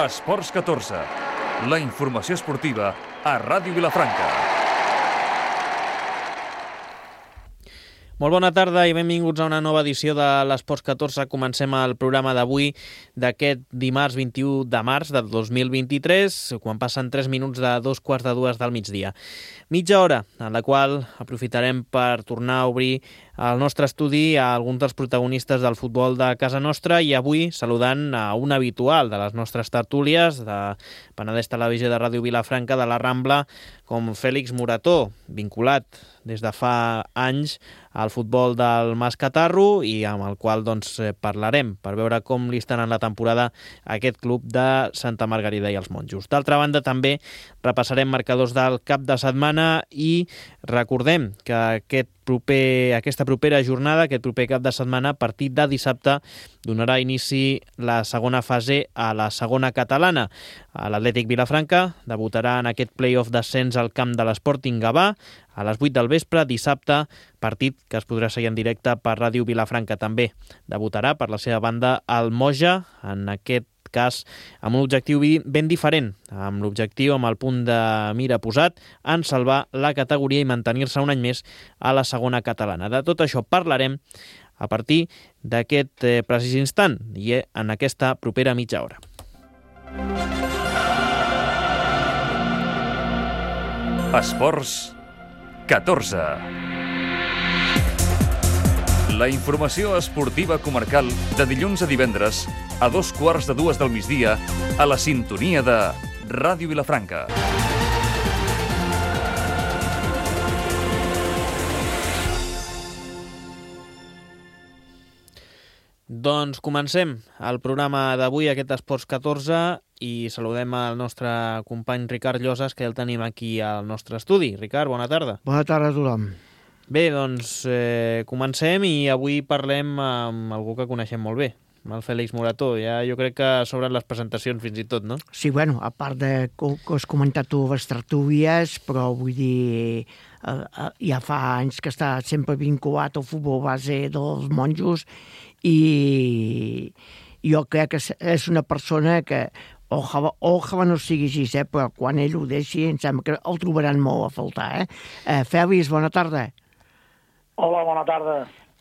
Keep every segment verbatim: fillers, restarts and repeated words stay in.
Esports catorze, la informació esportiva a Ràdio Vilafranca. Molt bona tarda i benvinguts a una nova edició de l'Esports catorze. Comencem el programa d'avui, d'aquest dimarts vint-i-u de març de dos mil vint-i-tres, quan passen tres minuts de dos quarts de dues del migdia. Mitja hora, en la qual aprofitarem per tornar a obrir el nostre estudi a alguns dels protagonistes del futbol de casa nostra, i avui saludant a un habitual de les nostres tertúlies de Penedès Televisió de Ràdio Vilafranca de la Rambla, com Fèlix Morató, vinculat des de fa anys al futbol del Mas Catarro, i amb el qual doncs, parlarem per veure com li estan en la temporada a aquest club de Santa Margarida i els Monjos. D'altra banda, també repassarem marcadors del cap de setmana i recordem que aquest proper, aquesta propera jornada, aquest proper cap de setmana, a partir de dissabte, donarà inici la segona fase a la segona catalana. L'Atlètic Vilafranca debutarà en aquest play-off d'ascens al camp de l'Sporting Gavà a les vuit del vespre, dissabte, partit que es podrà seguir en directe per Ràdio Vilafranca també. Debutarà per la seva banda el Moja, en aquest cas amb un objectiu ben diferent, amb l'objectiu, amb el punt de mira posat, en salvar la categoria i mantenir-se un any més a la segona catalana. De tot això parlarem a partir d'aquest eh, precís instant i en aquesta propera mitja hora. Esports catorze. La informació esportiva comarcal de dilluns a divendres a dos quarts de dues del migdia a la sintonia de Ràdio Vilafranca. Doncs comencem el programa d'avui, aquest Esports catorze, i saludem el nostre company Ricard Llosas, que ja el tenim aquí al nostre estudi. Ricard, bona tarda. Bona tarda a tothom. Bé, doncs eh, comencem i avui parlem amb algú que coneixem molt bé, amb el Fèlix Morató. Ja jo crec que sobren les presentacions fins i tot, no? Sí, bueno, a part de que, que has comentat tu les tertúlies, però vull dir, eh, eh, ja fa anys que està sempre vinculat al futbol base dels Monjos, i jo crec que és una persona que ojalà, ojalà no sigui així, eh? Però quan ell ho deixi em sembla que el trobaran molt a faltar. Eh? Eh, Fèlix, bona tarda. Hola, bona tarda.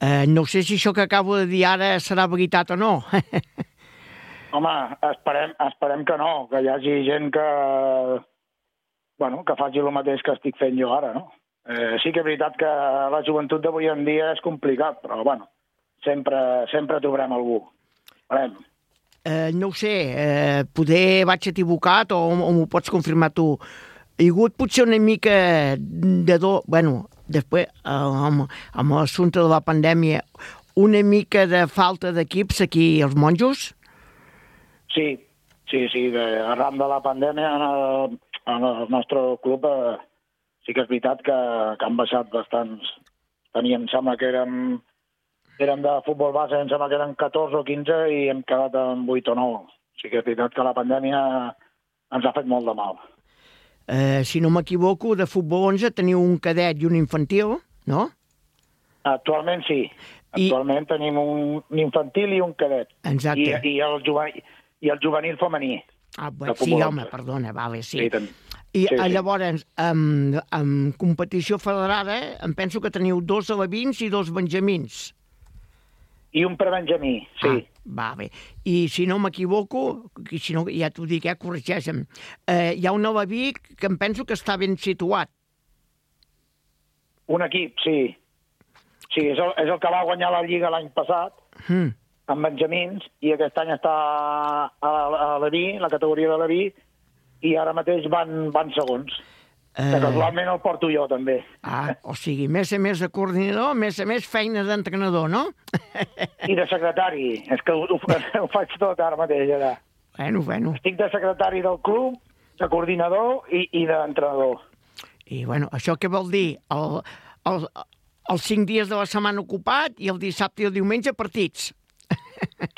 Eh, no sé si això que acabo de dir ara serà veritat o no. Home, esperem, esperem que no, que hi hagi gent que, bueno, que faci el mateix que estic fent jo ara, no? Eh, sí que és veritat que la joventut d'avui en dia és complicat, però, bueno, sempre, sempre trobarem algú. Esperem. Eh, no ho sé, eh, poder vaig equivocat o, o m'ho pots confirmar tu. Hi ha hagut potser una mica de do... Bueno, després, eh, amb, amb l'assumpte de la pandèmia, una mica de falta d'equips aquí als Monjos? Sí, sí, sí. De, arran de la pandèmia en el, en el nostre club eh, sí que és veritat que, que han baixat bastants. Teníem, sembla que érem... Érem de futbol base, em sembla que eren catorze o quinze i hem quedat en vuit o nou. Sí que és veritat que la pandèmia ens ha fet molt de mal. Eh, si no m'equivoco, de futbol onze teniu un cadet i un infantil, no? Actualment sí. Actualment I... tenim un, un infantil i un cadet. Exacte. I, i, el, juvenil, i el juvenil femení. Ah, bé, sí, home, perdona, vale, sí. sí ten... I sí, sí. llavors, amb, amb competició federada, em penso que teniu dos alevins i dos benjamins. I un prebenjamí, sí. Ah, va bé. I si no m'equivoco, si no, ja t'ho dic, eh, corregeixen, eh, hi ha un aleví que em penso que està ben situat. Un equip, sí. Sí, és el, és el que va guanyar la Lliga l'any passat, mm. amb benjamins, i aquest any està a, a l'Aví, la categoria de l'Aví, i ara mateix van, van segons. Eh... Que casualment el porto jo, també. Ah, o sigui, més a més de coordinador, més a més feina d'entrenador, no? I de secretari. És que ho, ho, ho faig tot ara mateix, ara. Bueno, bueno. Estic de secretari del club, de coordinador i, i d'entrenador. I, bueno, això què vol dir? El, el, els cinc dies de la setmana ocupat i el dissabte i el diumenge partits.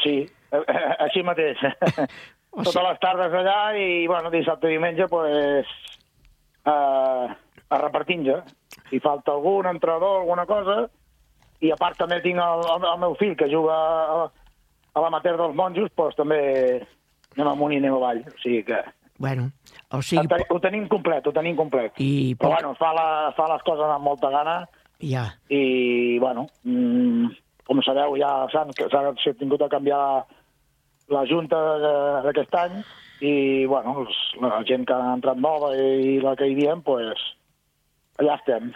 Sí, així mateix. O sigui... Totes les tardes allà i, bueno, dissabte i diumenge, pues... Uh, a repartir-nos. Si falta algun entrenador, alguna cosa, i a part també tinc el, el, el meu fill que juga a, a l'amateur dels Monjos, doncs també anem amunt i anem avall. O sigui que... Bueno, o sigui... Ho, ho tenim complet, ho tenim complet. I Però poc... bueno, fa, la, fa les coses amb molta gana Ja. i, bueno, mmm, com sabeu, ja s'ha tingut a canviar la junta d'aquest any i, bueno, els, la gent que ha entrat nova i la que hi havia, pues, allà estem.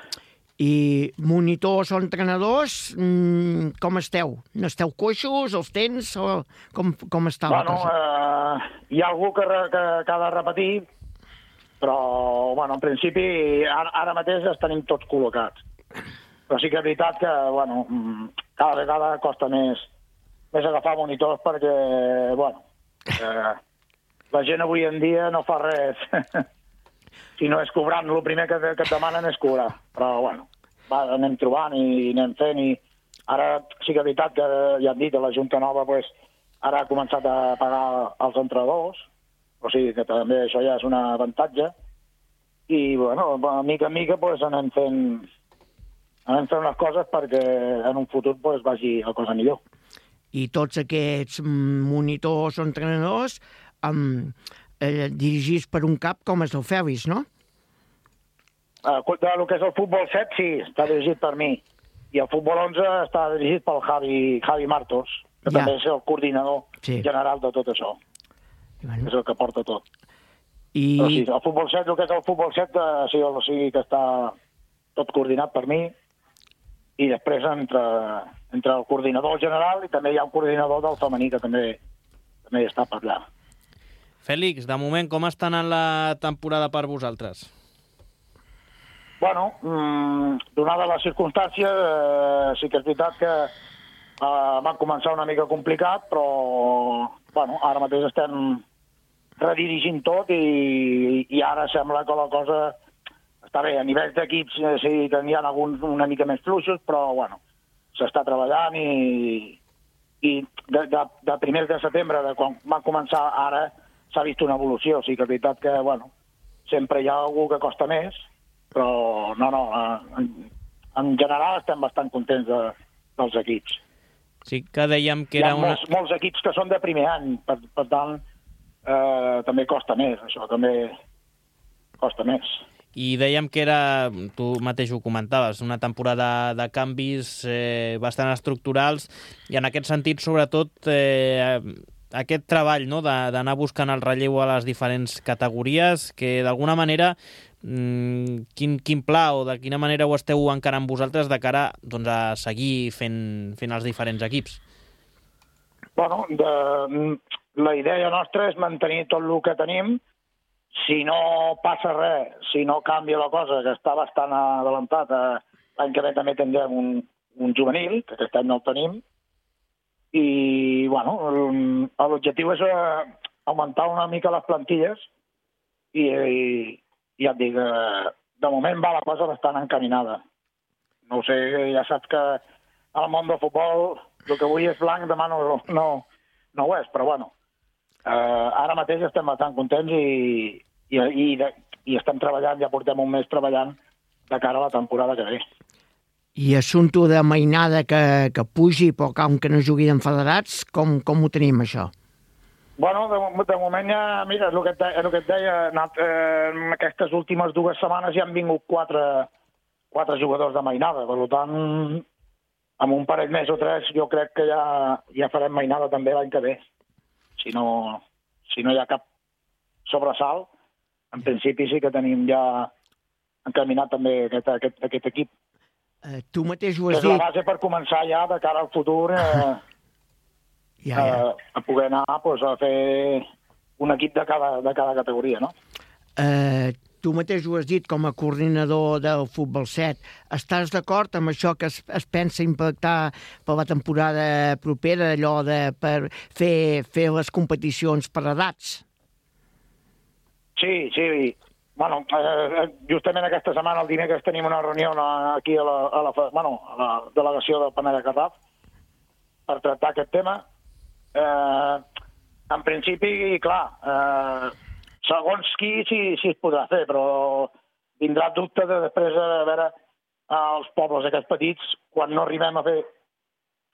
I monitors o entrenadors, mmm, com esteu? N'esteu coixos, els tens, o com, com està la bueno, cosa? Eh, hi ha algú que, re, que, que ha de repetir, però, bueno, en principi, ara, ara mateix els tenim tots col·locats. Però sí que és veritat que, bueno, cada vegada costa més, més agafar monitors perquè, bueno, eh, la gent avui en dia no fa res. Si no és cobrant, el primer que, que et demanen és cobrar. Però, bueno, va, anem trobant i anem fent i ara sí que és veritat que ja han dit a la Junta Nova, pues, ara ha començat a pagar els entrenadors, o sigui que també això ja és un avantatge i, bueno, a mica en mica pues, anem fent anem fent les coses perquè en un futur pues, vagi la cosa millor. I tots aquests monitors o entrenadors um, eh, dirigits per un cap com és el Fèlix, no? Uh, el que és el futbol set, sí, està dirigit per mi. I el futbol onze està dirigit pel Javi, Javi Martos, que ja. també és el coordinador sí. general de tot això. Bueno. És el que porta tot. I... Però sí, el futbol set, el que és el futbol set, uh, sí, o sigui que està tot coordinat per mi, i després entre, entre el coordinador general i també hi ha un coordinador del femení que també, també està per allà. Fèlix, de moment, com està anant la temporada per vosaltres? Bueno, mmm, donada les circumstàncies, eh, sí que és veritat que eh, va començar una mica complicat, però bueno, ara mateix estem redirigint tot i, i ara sembla que la cosa està bé. A nivell d'equips sí que n'hi ha alguns una mica més fluixos, però bueno, s'està treballant i, i de, de, de primers de setembre, de quan va començar ara, s'ha vist una evolució. O sigui que és veritat que, bueno, sempre hi ha algú que costa més, però no, no, en, en general estem bastant contents de, dels equips. Sí que dèiem que era era una... una... Molts, molts equips que són de primer any, per, per tant, eh, també costa més, això també costa més. I dèiem que era, tu mateix ho comentaves, una temporada de canvis eh, bastant estructurals i en aquest sentit, sobretot, eh, aquest treball, no?, d'anar buscant el relleu a les diferents categories, que d'alguna manera, mmm, quin, quin pla o de quina manera ho esteu encarant vosaltres de cara doncs, a seguir fent, fent els diferents equips? Bueno, de, la idea nostra és mantenir tot el que tenim. Si no passa res, si no canvia la cosa, que està bastant adelantat, eh, l'any que ve també tindrem un, un juvenil, que aquest any no el tenim, i, bueno, l'objectiu és eh, augmentar una mica les plantilles i, i, i ja et dic, eh, de moment va la cosa bastant encaminada. No ho sé, ja saps que al món del futbol el que avui és blanc, demà no, no, no ho és, però bueno, Uh, ara mateix estem bastant contents i, i, i, de, i estem treballant, ja portem un mes treballant de cara a la temporada que ve. I assumpte de mainada que, que pugi, però com que no jugui en federats, com, com ho tenim, això? Bueno, de, de moment ja, mira, és el que et, és el que et deia, anat, eh, en aquestes últimes dues setmanes ja han vingut quatre, quatre jugadors de mainada, per tant, amb un parell més o tres jo crec que ja, ja farem mainada també l'any que ve. Si no, si no hi ha cap sobresalt, en principi sí que tenim ja encaminat també aquest, aquest, aquest equip. Uh, tu mateix ho has és dit. És la base per començar ja de cara al futur eh, ja, ja. Eh, a poder anar pues, a fer un equip de cada, de cada categoria, no? Uh, tu mateix ho has dit com a coordinador del Futbol set. Estàs d'acord amb això que es, es pensa impactar per la temporada propera, allò de per fer, fer les competicions per edats? Sí, sí. Bueno, eh, justament aquesta setmana, el dimecres, tenim una reunió aquí a la, a la, bueno, a la delegació del Penedès Garraf per tractar aquest tema. Eh, en principi, clar, eh, segons qui sí, sí es podrà fer, però vindrà el dubte de després de veure els pobles aquests petits, quan no arribem a fer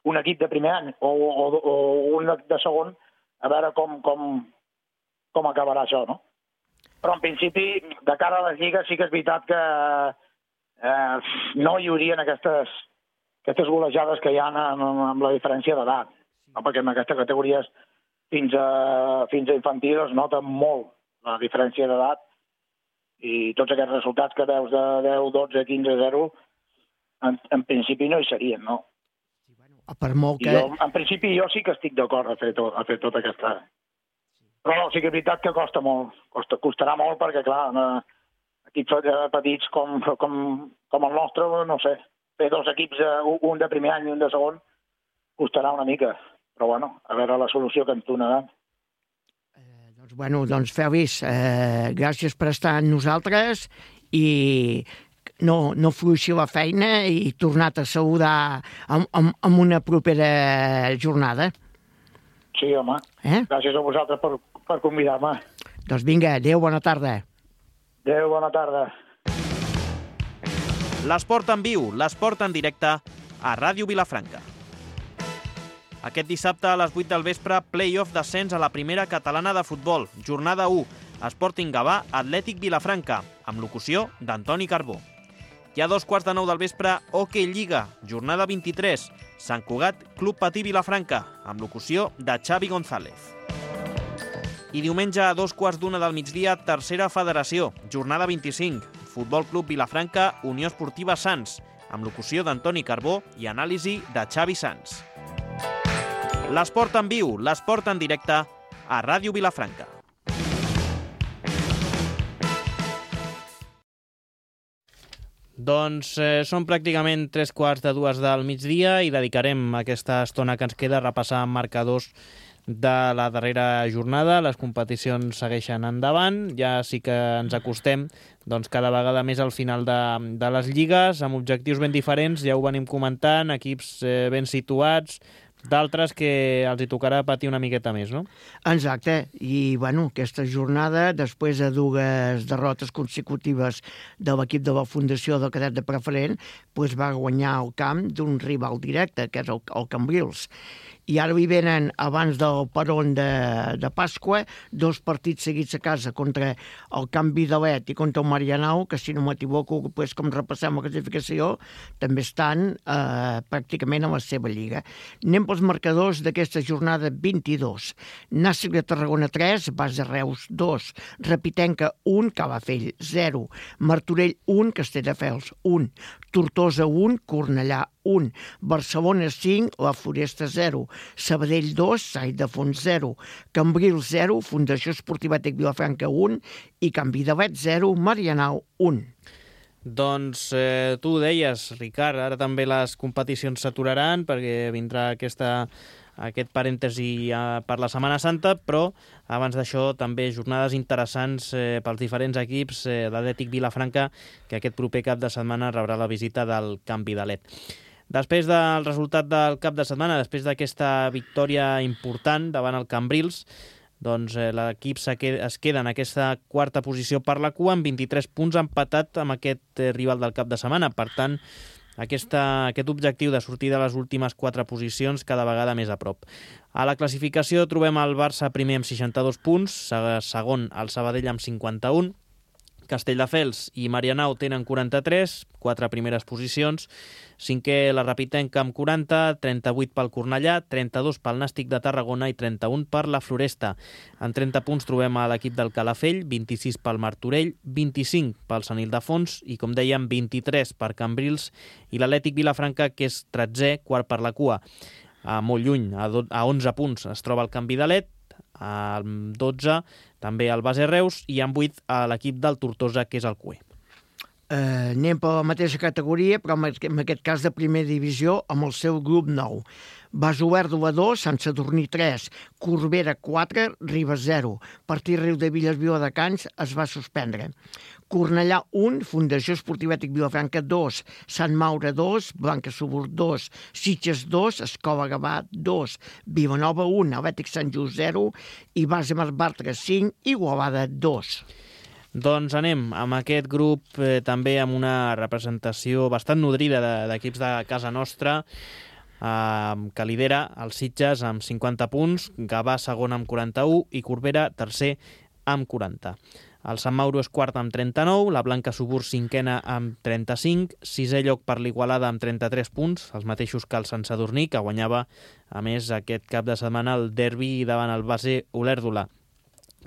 un equip de primer any o, o, o un de segon, a veure com, com, com acabarà això, no? Però en principi, de cara a les lligues, sí que és veritat que eh, no hi haurien aquestes, aquestes golejades que hi ha amb, amb la diferència d'edat, no? Perquè en aquestes categories fins a, fins a infantil es nota molt la diferència d'edat i tots aquests resultats que veus de deu, dotze, quinze, zero, en, en principi no hi serien, no? Per molt que... Jo, en principi jo sí que estic d'acord a fer, tot, a fer tota aquesta... Però no, sí que és veritat que costa molt, costa, costarà molt perquè, clar, equips petits com, com, com el nostre, no sé, fer dos equips, un de primer any i un de segon, costarà una mica. Però, bueno, a veure la solució que ens donaran. Eh, doncs, bueno, doncs, Fèlix, eh, gràcies per estar amb nosaltres i no, no fluixi la feina i tornar-te a saludar amb, amb, amb una propera jornada. Sí, home. Eh? Gràcies a vosaltres per, per convidar-me. Doncs vinga, adéu, bona tarda. Adéu, bona tarda. L'esport en viu, l'esport en directe a Ràdio Vilafranca. Aquest dissabte a les vuit del vespre, play-off d'ascens a la primera catalana de futbol, jornada u, Sporting Gavà, Atlètic Vilafranca, amb locució d'Antoni Carbó. I a dos quarts de nou del vespre, Hockey Lliga, jornada vint-i-tres, Sant Cugat, Club Patí Vilafranca, amb locució de Xavi González. I diumenge a dos quarts d'una del migdia, tercera federació, jornada vint-i-cinc, Futbol Club Vilafranca, Unió Esportiva Sants, amb locució d'Antoni Carbó i anàlisi de Xavi Sans. L'esport en viu, l'esport en directe a Ràdio Vilafranca. Doncs eh, són pràcticament tres quarts de dues del migdia i dedicarem aquesta estona que ens queda a repassar marcadors de la darrera jornada. Les competicions segueixen endavant, ja sí que ens acostem doncs, cada vegada més al final de, de les lligues, amb objectius ben diferents, ja ho venim comentant, equips eh, ben situats, d'altres que els hi tocarà patir una miqueta més, no? Exacte, i bueno, aquesta jornada, després de dues derrotes consecutives de l'equip de la Fundació del Cadet de Preferent, doncs va guanyar el camp d'un rival directe, que és el, el Cambrils. I ara li venen, abans del peron de, de Pasqua, dos partits seguits a casa contra el Camp Vidalet i contra el Marianao, que si no m'equivoco, pues, com repassem la classificació, també estan eh, pràcticament a la seva lliga. Anem pels marcadors d'aquesta jornada vint-i-dos. Nàstic de Tarragona tres, Base Reus dos, Repitenca un, Calafell zero, Martorell un, Castelldefels un, Tortosa un, Cornellà un, Barcelona cinc, La Floresta zero, Sabadell dos, Sai de Fons zero, Cambrils zero, Fundació Esportiva Tec Vilafranca un i Camp Vidalet zero, Marianao un. Doncs eh, tu ho deies, Ricard, ara també les competicions s'aturaran perquè vindrà aquesta, aquest parèntesi eh, per la Setmana Santa, però abans d'això també jornades interessants eh, pels diferents equips eh, d'Atlètic Vilafranca, que aquest proper cap de setmana rebrà la visita del Camp Vidalet. Després del resultat del cap de setmana, després d'aquesta victòria important davant el Cambrils, doncs eh, l'equip es queda en aquesta quarta posició per la cua amb vint-i-tres punts, empatat amb aquest eh, rival del cap de setmana. Per tant, aquesta, aquest objectiu de sortir de les últimes quatre posicions cada vegada més a prop. A la classificació trobem el Barça primer amb seixanta-dos punts, segon el Sabadell amb cinquanta-un, Castelldefels i Marianao tenen quaranta-tres, quatre primeres posicions, cinquè la Repitenca amb quaranta, trenta-vuit pel Cornellà, trenta-dos pel Nàstic de Tarragona i trenta-un per la Floresta. En trenta punts trobem a l'equip del Calafell, vint-i-sis pel Martorell, vint-i-cinc pel Sant Ildefons i, com dèiem, vint-i-tres per Cambrils i l'Atlètic Vilafranca, que és tretzè, quart per la cua. A molt lluny, a, do- a onze punts es troba el Camp Vidalet, amb dotze també el Base Reus i amb vuit a l'equip del Tortosa, que és el Cué. Eh, anem per la mateixa categoria, però en aquest cas de primera divisió, amb el seu grup nou. Basoverdola dos, Sant Sadurní tres, Corbera quatre, Ribes zero. Partit Riu de Villes Viladecans es va suspendre. Cornellà un, Fundació Esportiva Tec Vilafranca dos, Sant Maure dos, Blanca Subur dos, Sitges dos, Escola Gavà dos, Vilanova un, Atlètic Sant Just zero i Base Marbartra cinc, Igualada dos. Doncs anem amb aquest grup eh, també amb una representació bastant nodrida de, d'equips de casa nostra, eh, que lidera els Sitges amb cinquanta punts, Gavà segon amb quaranta-un i Corbera tercer amb quaranta. El Sant Mauro és quart amb trenta-nou, la Blanca Subur cinquena amb trenta-cinc, sisè lloc per l'Igualada amb trenta-tres punts, els mateixos que el Sant Sadurní, que guanyava, a més, aquest cap de setmana el derbi davant el base Olèrdola.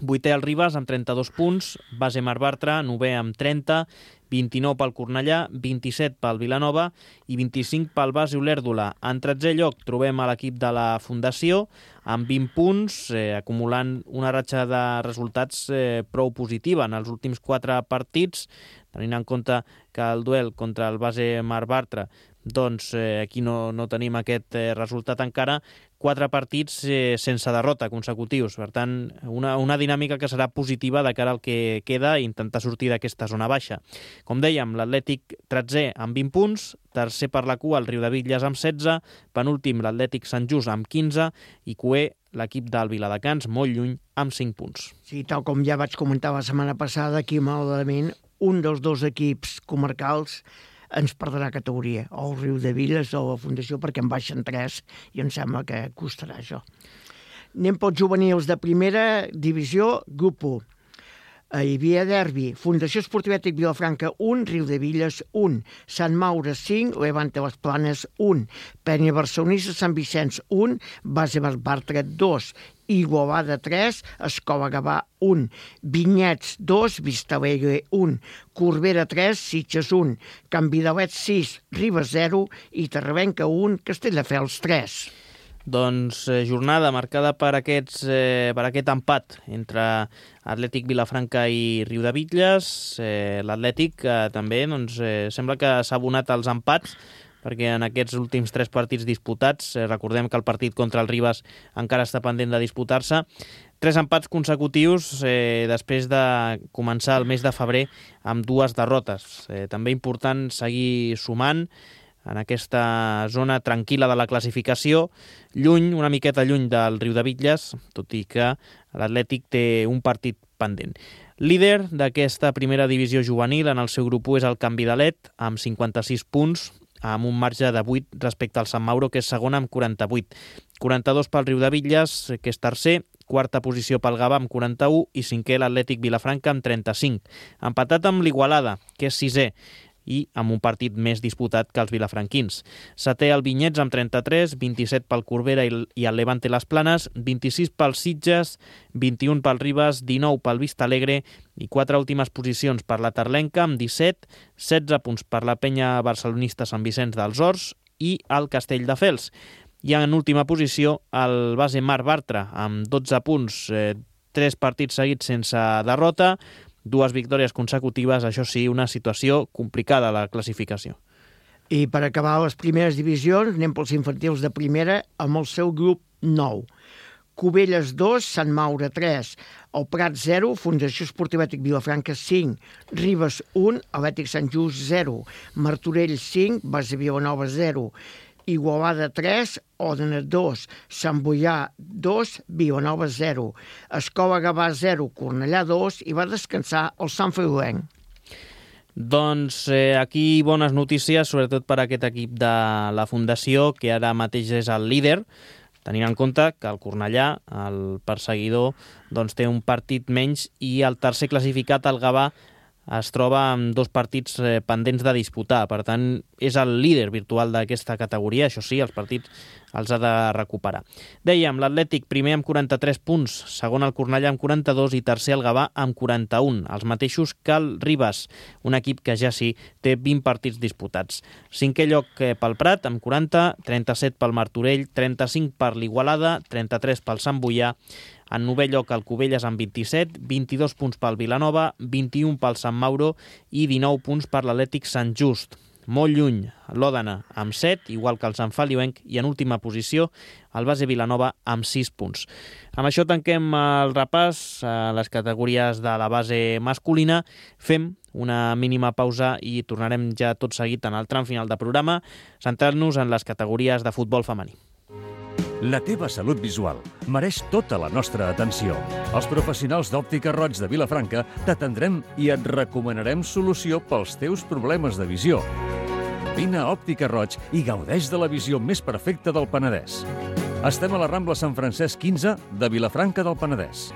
Vuitè el Ribes amb trenta-dos punts, base Mar Bartra, novè amb trenta, vint-i-nou pel Cornellà, vint-i-set pel Vilanova i vint-i-cinc pel base Olèrdola. En tretzè lloc trobem a l'equip de la Fundació amb vint punts, eh, acumulant una ratxa de resultats eh, prou positiva en els últims quatre partits, tenint en compte que el duel contra el base Mar Bartra, doncs eh, aquí no, no tenim aquest eh, resultat encara, quatre partits eh, sense derrota consecutius. Per tant, una, una dinàmica que serà positiva de cara al que queda i intentar sortir d'aquesta zona baixa. Com dèiem, l'Atlètic tretzè amb vint punts, tercer per la cua el Riudebitlles amb setze, penúltim l'Atlètic Sant Just amb quinze i cuer l'equip del Viladecans, molt lluny, amb cinc punts. Sí, tal com ja vaig comentar la setmana passada, aquí malauradament un dels dos equips comarcals ens perdrà categoria, o el Riudebitlles o la Fundació, perquè en baixen tres i em sembla que costarà això. Anem pels juvenils de primera divisió, grup u. Hi havia derbi, Fundació Esportivètic Vilafranca un, Riudebitlles un, Sant Maure cinc, Levante Les Planes un, Penya Barcelonista Sant Vicenç un, Base Bartra dos, Igualada tres, Escola Gavà un, Vinyets dos, Vistalegre un, Corbera tres, Sitges un, Can Vidalet sis, Ribes zero i Terravenca un, Castelldefels tres. Doncs eh, jornada marcada per, aquests, eh, per aquest empat entre Atlètic Vilafranca i Riudebitlles. Eh, L'Atlètic eh, també doncs, eh, sembla que s'ha abonat als empats, perquè en aquests últims tres partits disputats, eh, recordem que el partit contra el Ribes encara està pendent de disputar-se, tres empats consecutius eh, després de començar el mes de febrer amb dues derrotes. Eh, també important seguir sumant en aquesta zona tranquil·la de la classificació, lluny, una miqueta lluny del Riudebitlles, tot i que l'Atlètic té un partit pendent. Líder d'aquesta primera divisió juvenil en el seu grup u és el Can Vidalet, amb cinquanta-sis punts, amb un marge de vuit respecte al Sant Mauro, que és segon amb quaranta-vuit. quaranta-dos pel Riudebitlles, que és tercer, quarta posició pel Gavà amb quaranta-u i cinquè l'Atlètic Vilafranca amb trenta-cinc. Empatat amb l'Igualada, que és sisè, i amb un partit més disputat que els vilafranquins. Setè el Vinyets amb trenta-tres, vint-i-set pel Corbera i el Levante Les Planes, vint-i-sis pel Sitges, vint-i-un pel Ribes, dinou pel Vistalegre i quatre últimes posicions per la Terlenca amb disset, setze punts per la Penya Barcelonista Sant Vicenç dels Horts i el Castelldefels. I en última posició el base Mar Bartra amb dotze punts, eh, tres partits seguits sense derrota, dues victòries consecutives, això sí, una situació complicada a la classificació. I per acabar les primeres divisions, anem pels infantils de primera amb el seu grup nou. Cubelles dos, Sant Maure tres, el Prat zero, Fundació Esportivètic Vilafranca cinc, Ribes un, Atlètic Sant Just zero, Martorell cinc, Base Vilanova zero, Igualada tres, Òdena dos, Sant Boià dos, Vilanova zero, Escola Gavà zero, Cornellà dos i va descansar el Sant Feliuenc. Doncs eh, aquí bones notícies, sobretot per aquest equip de la Fundació, que ara mateix és el líder, tenint en compte que el Cornellà, el perseguidor, doncs té un partit menys i el tercer classificat, el Gavà, es troba amb dos partits eh, pendents de disputar. Per tant, és el líder virtual d'aquesta categoria. Això sí, els partits els ha de recuperar. Dèiem, l'Atlètic primer amb quaranta-tres punts, segon el Cornellà amb quaranta-dos i tercer el Gavà amb quaranta-un, els mateixos que el Ribes, un equip que ja sí té vint partits disputats. Cinquè lloc pel Prat amb quaranta, trenta-set pel Martorell, trenta-cinc per l'Igualada, trenta-tres pel Sant Boià, en novè lloc el Cubelles amb vint-i-set, vint-i-dos punts pel Vilanova, vint-i-un pel Sant Mauro i dinou punts per l'Atlètic Sant Just. Molt lluny, l'Òdena amb set, igual que el Sant Feliuenc, i en última posició el base Vilanova amb sis punts. Amb això tanquem el repàs a les categories de la base masculina. Fem una mínima pausa i tornarem ja tot seguit en el tram final de programa, centrant-nos en les categories de futbol femení. La teva salut visual mereix tota la nostra atenció. Els professionals d'Òptica Roig de Vilafranca t'atendrem i et recomanarem solució pels teus problemes de visió. Vine a Òptica Roig i gaudeix de la visió més perfecta del Penedès. Estem a la Rambla Sant Francesc quinze de Vilafranca del Penedès.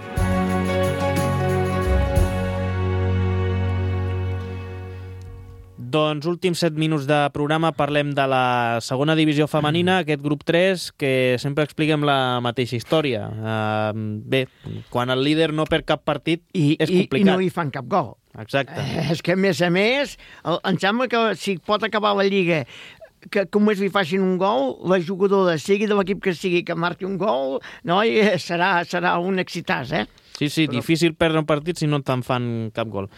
Doncs últims set minuts de programa, parlem de la segona divisió femenina, aquest grup tres, que sempre expliquem la mateixa història. Uh, bé, quan el líder no perd cap partit, I, és i, complicat. I no hi fan cap gol. Exacte. Eh, és que, a més a més, el, em sembla que si pot acabar la Lliga que només li facin un gol, la jugadora, sigui de l'equip que sigui, que marqui un gol, no? I serà, serà un excitàs, eh? Sí, sí, Però... difícil perdre un partit si no te'n fan cap gol.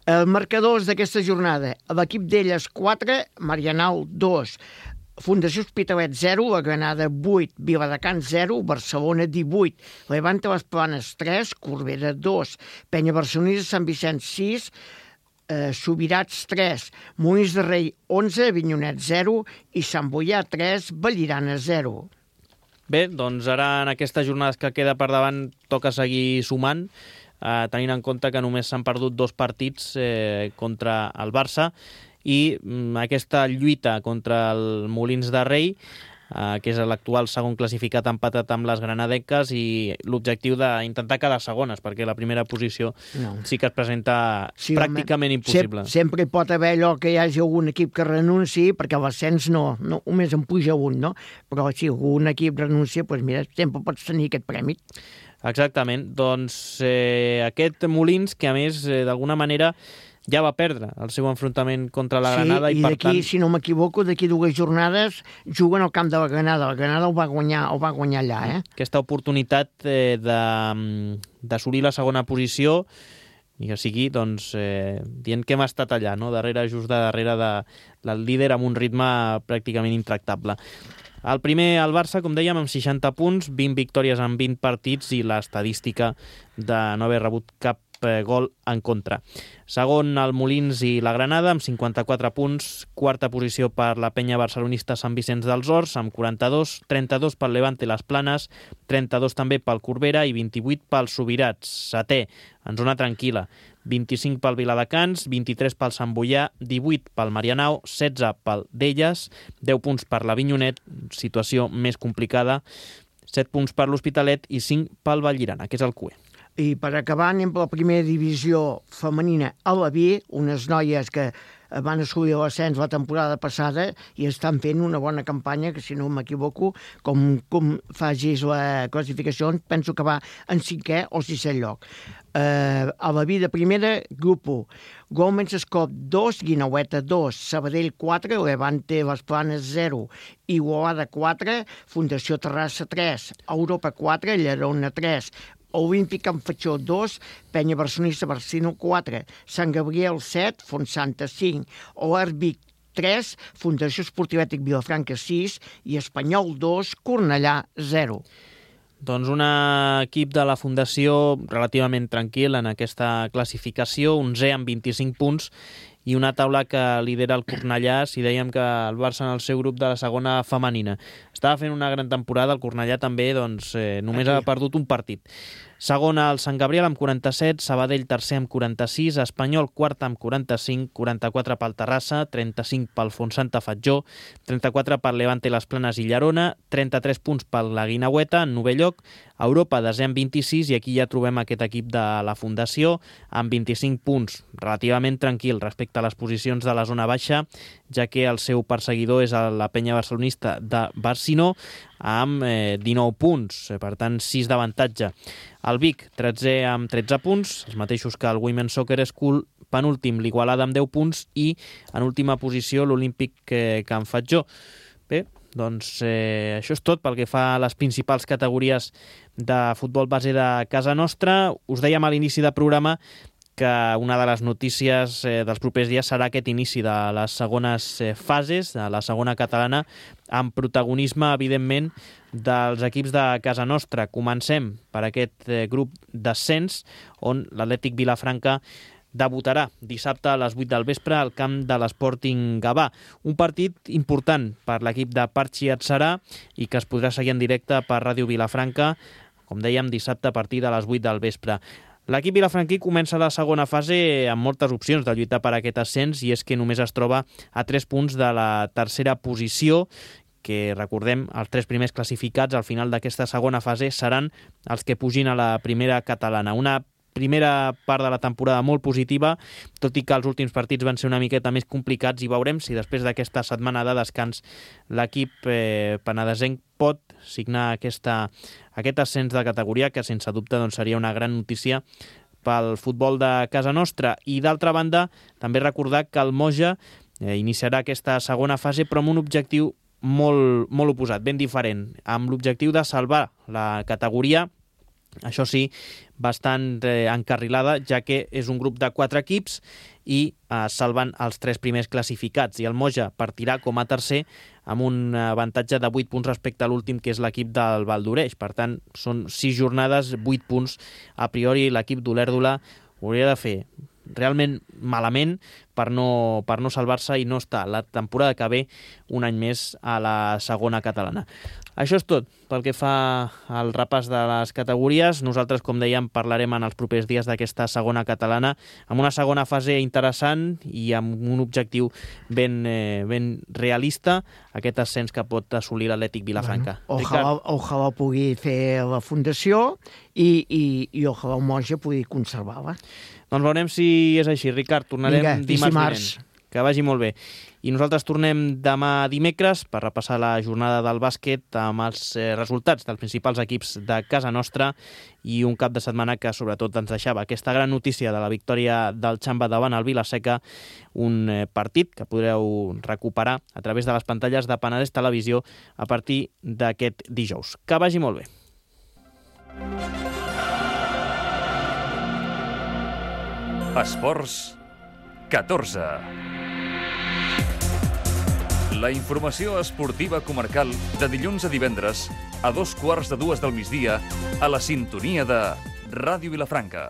Els marcadors d'aquesta jornada. L'equip d'elles quatre, Marianao dos, Fundació Hospitalet zero, la Granada vuit, Viladecans zero, Barcelona divuit, Levante les Planes tres, Corbera dos, Penya Barcelonista Sant Vicenç sis, eh, Subirats tres, Molins de Rei onze, Avinyonet zero i Sant Boià tres, Vallirana zero. Bé, doncs ara en aquestes jornades que queda per davant toca seguir sumant, eh, tenint en compte que només s'han perdut dos partits eh, contra el Barça i mm, aquesta lluita contra el Molins de Rei, eh, que és l'actual segon classificat, empatat amb les granadenques, i l'objectiu d'intentar quedar segones, perquè la primera posició no. sí que es presenta sí, pràcticament home, impossible. Sempre, sempre hi pot haver allò que hi hagi algun equip que renunciï, perquè l'ascens no, no, només en puja un, no? Però si algun equip renuncia, doncs mira, sempre pots tenir aquest premi. Exactament. Doncs eh, aquest Molins, que a més, eh, d'alguna manera, ja va perdre el seu enfrontament contra la Granada. Sí, i, i d'aquí, tant... si no m'equivoco, d'aquí dues jornades juguen al camp de la Granada. La Granada el va guanyar, el va guanyar allà, eh? Aquesta oportunitat eh, d'assolir la segona posició, i que sigui, doncs, eh, dient que hem estat allà, no? Darrere, just de darrere de, del líder, amb un ritme pràcticament intractable. El primer, el Barça, com dèiem, amb seixanta punts, vint victòries en vint partits i l'estadística de no haver rebut cap gol en contra. Segon, el Molins i la Granada, amb cinquanta-quatre punts, quarta posició per la Penya Barcelonista Sant Vicenç dels Horts, amb quaranta-dos, trenta-dos pel Levante les Planes, trenta-dos també pel Corbera i vint-i-vuit pel Subirats. Setè, en zona tranquil·la, vint-i-cinc pel Viladecans, vint-i-tres pel Sant Boià, divuit pel Marianao, setze pel d'Elles, deu punts per l'Avinyonet, situació més complicada, set punts per l'Hospitalet i cinc pel Vallirana, que és el Q E. I per acabar anem per la primera divisió femenina a la B, unes noies que van assolir l'ascens la temporada passada i estan fent una bona campanya, que si no m'equivoco, com, com facis la classificació, penso que va en cinquè o sisè lloc. Uh, a la B de primera, grup u. Golmens Escop dos, Guinaueta dos, Sabadell quatre, Levante Les Planes zero, Igualada quatre, Fundació Terrassa tres, Europa quatre, Llerona tres, Olímpic en Fatxó dos, Penya Barcelonista Barcino quatre, Sant Gabriel set, Fontsanta cinc, Oarbic tres, Fundació Esportivètic Vilafranca sis i Espanyol dos, Cornellà zero. Doncs un equip de la Fundació relativament tranquil en aquesta classificació, onzè amb vint-i-cinc punts, i una taula que lidera el Cornellà, si dèiem que el Barça en el seu grup de la segona femenina. Estava fent una gran temporada, el Cornellà també, doncs eh, només Aquí. ha perdut un partit. Segona el Sant Gabriel amb quaranta-set, Sabadell tercer amb quaranta-sis, Espanyol quart amb quaranta-cinc, quaranta-quatre pel Terrassa, trenta-cinc pel Fontsanta Fatjó, trenta-quatre per Levante Les Planes i Llerona, trenta-tres punts per la Guinaueta, en novè lloc, Europa desè amb vint-i-sis, i aquí ja trobem aquest equip de la Fundació amb vint-i-cinc punts, relativament tranquil respecte a les posicions de la zona baixa, ja que el seu perseguidor és la Penya Barcelonista de Barcino amb eh, dinou punts, per tant sis d'avantatge. El Vic, tretzè amb tretze punts, els mateixos que el Women's Soccer School, penúltim l'Igualada amb deu punts i en última posició l'Olímpic eh, Can Fatjó. Bé, doncs eh, això és tot pel que fa a les principals categories de futbol base de casa nostra. Us dèiem a l'inici del programa que una de les notícies eh, dels propers dies serà aquest inici de les segones eh, fases, de la segona catalana, amb protagonisme, evidentment, dels equips de casa nostra. Comencem per aquest eh, grup d'ascens, on l'Atlètic Vilafranca debutarà dissabte a les vuit del vespre al camp de l'Sporting Gavà. Un partit important per l'equip de Parchi Atzarà i que es podrà seguir en directe per Ràdio Vilafranca, com dèiem, dissabte a partir de les vuit del vespre. L'equip vilafranquí comença la segona fase amb moltes opcions de lluitar per aquest ascens, i és que només es troba a tres punts de la tercera posició, que recordem, els tres primers classificats al final d'aquesta segona fase seran els que pugin a la primera catalana. Una primera part de la temporada molt positiva, tot i que els últims partits van ser una miqueta més complicats, i veurem si després d'aquesta setmana de descans l'equip eh, penedesenc pot signar aquesta, aquest ascens de categoria, que sense dubte doncs, seria una gran notícia pel futbol de casa nostra. I d'altra banda, també recordar que el Moja eh, iniciarà aquesta segona fase, però amb un objectiu molt, molt oposat, ben diferent, amb l'objectiu de salvar la categoria. Això sí, bastant eh, encarrilada, ja que és un grup de quatre equips i eh, salven els tres primers classificats. I el Moja partirà com a tercer amb un avantatge de vuit punts respecte a l'últim, que és l'equip del Val d'Oreix. Per tant, són sis jornades, vuit punts. A priori, l'equip d'Olèrdola hauria de fer realment malament per no, per no salvar-se i no estar la temporada que ve un any més a la segona catalana. Això és tot pel que fa al repàs de les categories. Nosaltres, com dèiem, parlarem en els propers dies d'aquesta segona catalana, amb una segona fase interessant i amb un objectiu ben, eh, ben realista, aquest ascens que pot assolir l'Atlètic Vilafranca. Bueno, ojalà, ojalà pugui fer la fundació i, i, i ojalà el Moja pugui conservar-la. Doncs veurem si és així, Ricard. Tornarem Vinga, dimarts dimarts. vinent. Que vagi molt bé. I nosaltres tornem demà dimecres per repassar la jornada del bàsquet amb els eh, resultats dels principals equips de casa nostra i un cap de setmana que sobretot ens deixava aquesta gran notícia de la victòria del Xamba davant el Vila-seca, un eh, partit que podreu recuperar a través de les pantalles de Penedès Televisió a partir d'aquest dijous. Que vagi molt bé. Esports catorze. La informació esportiva comarcal de dilluns a divendres a dos quarts de dues del migdia a la sintonia de Ràdio Vilafranca.